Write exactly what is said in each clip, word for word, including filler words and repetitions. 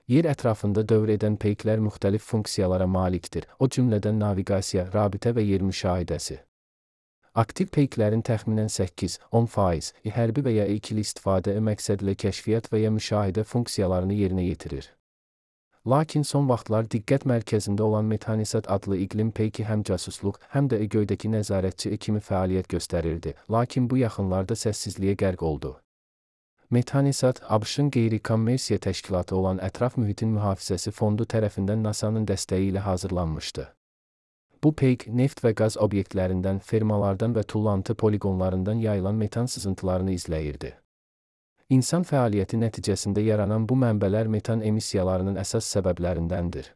Yer ətrafında dövr edən peyklər müxtəlif funksiyalara malikdir, o cümlədən naviqasiya, rabitə və yer müşahidəsi. Aktiv peyklərin təxminən səkkiz-on faiz hərbi və ya ikili istifadə məqsədlə kəşfiyyat və ya müşahidə funksiyalarını yerinə yetirir. Lakin son vaxtlar diqqət mərkəzində olan Metanisat adlı iqlim peyki həm casusluq, həm də göydəki nəzarətçi kimi fəaliyyət göstərirdi, lakin bu yaxınlarda səssizliyə qərq oldu. Metanisat, ABŞ-ın qeyri-kommersiya təşkilatı olan Ətraf Mühitin Mühafizəsi Fondu tərəfindən NASA'nın dəstəyi ilə hazırlanmışdı. Bu peyk, neft və qaz obyektlərindən, fermalardan və tullantı poliqonlarından yayılan metan sızıntılarını izləyirdi. İnsan fəaliyyəti nəticəsində yaranan bu mənbələr metan emissiyalarının əsas səbəblərindəndir.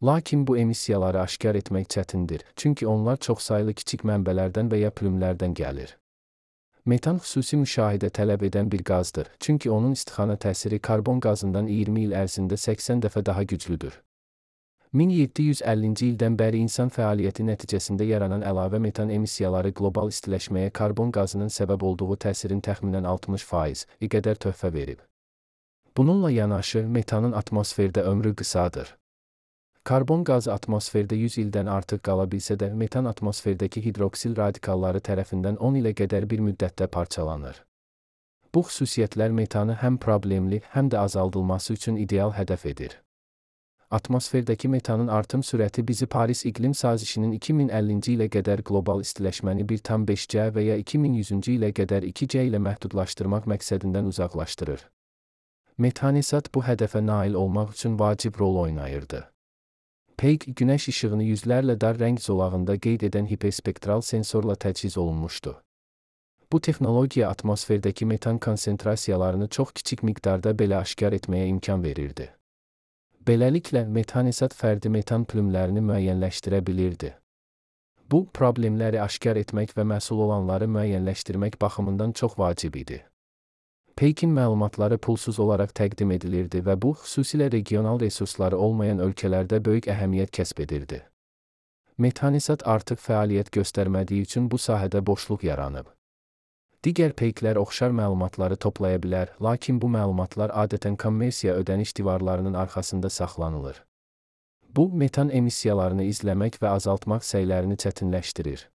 Lakin bu emissiyaları aşkar etmək çətindir, çünki onlar çoxsaylı kiçik mənbələrdən və ya plümlərdən gəlir. Metan xüsusi müşahidə tələb edən bir qazdır, çünki onun istixana təsiri karbon qazından iyirmi il ərzində səksən dəfə daha güclüdür. min yeddi yüz əllinci ildən bəri insan fəaliyyəti nəticəsində yaranan əlavə metan emissiyaları qlobal istiləşməyə karbon qazının səbəb olduğu təsirin təxminən altmış faiz qədər töhfə verib. Bununla yanaşı, metanın atmosferdə ömrü qısadır. Karbon qazı atmosferdə yüz ildən artıq qala bilsə də, metan atmosferdəki hidroksil radikalları tərəfindən on ilə qədər bir müddətdə parçalanır. Bu xüsusiyyətlər metanı həm problemli, həm də azaldılması üçün ideal hədəf edir. Atmosferdəki metanın artım sürəti bizi Paris İqlim Sazişinin iki min əllinci ilə qədər qlobal istiləşməni bir tam beş C və ya iki min yüzüncü ilə qədər iki C ilə məhdudlaşdırmaq məqsədindən uzaqlaşdırır. Metanisat bu hədəfə nail olmaq üçün vacib rol oynayırdı. Peyk, günəş işığını yüzlərlə dar rəng zolağında qeyd edən hiperspektral sensorla təchiz olunmuşdu. Bu texnologiya atmosferdəki metan konsentrasiyalarını çox kiçik miqdarda belə aşkar etməyə imkan verirdi. Beləliklə, Metanisat fərdi metan plümlərini müəyyənləşdirə bilirdi. Bu, problemləri aşkar etmək və məsul olanları müəyyənləşdirmək baxımından çox vacib idi. Peykin məlumatları pulsuz olaraq təqdim edilirdi və bu, xüsusilə regional resursları olmayan ölkələrdə böyük əhəmiyyət kəsb edirdi. Metanisat artıq fəaliyyət göstərmədiyi üçün bu sahədə boşluq yaranıb. Digər peyklər oxşar məlumatları toplaya bilər, lakin bu məlumatlar adətən kommersiya ödəniş divarlarının arxasında saxlanılır. Bu, metan emissiyalarını izləmək və azaltmaq səylərini çətinləşdirir.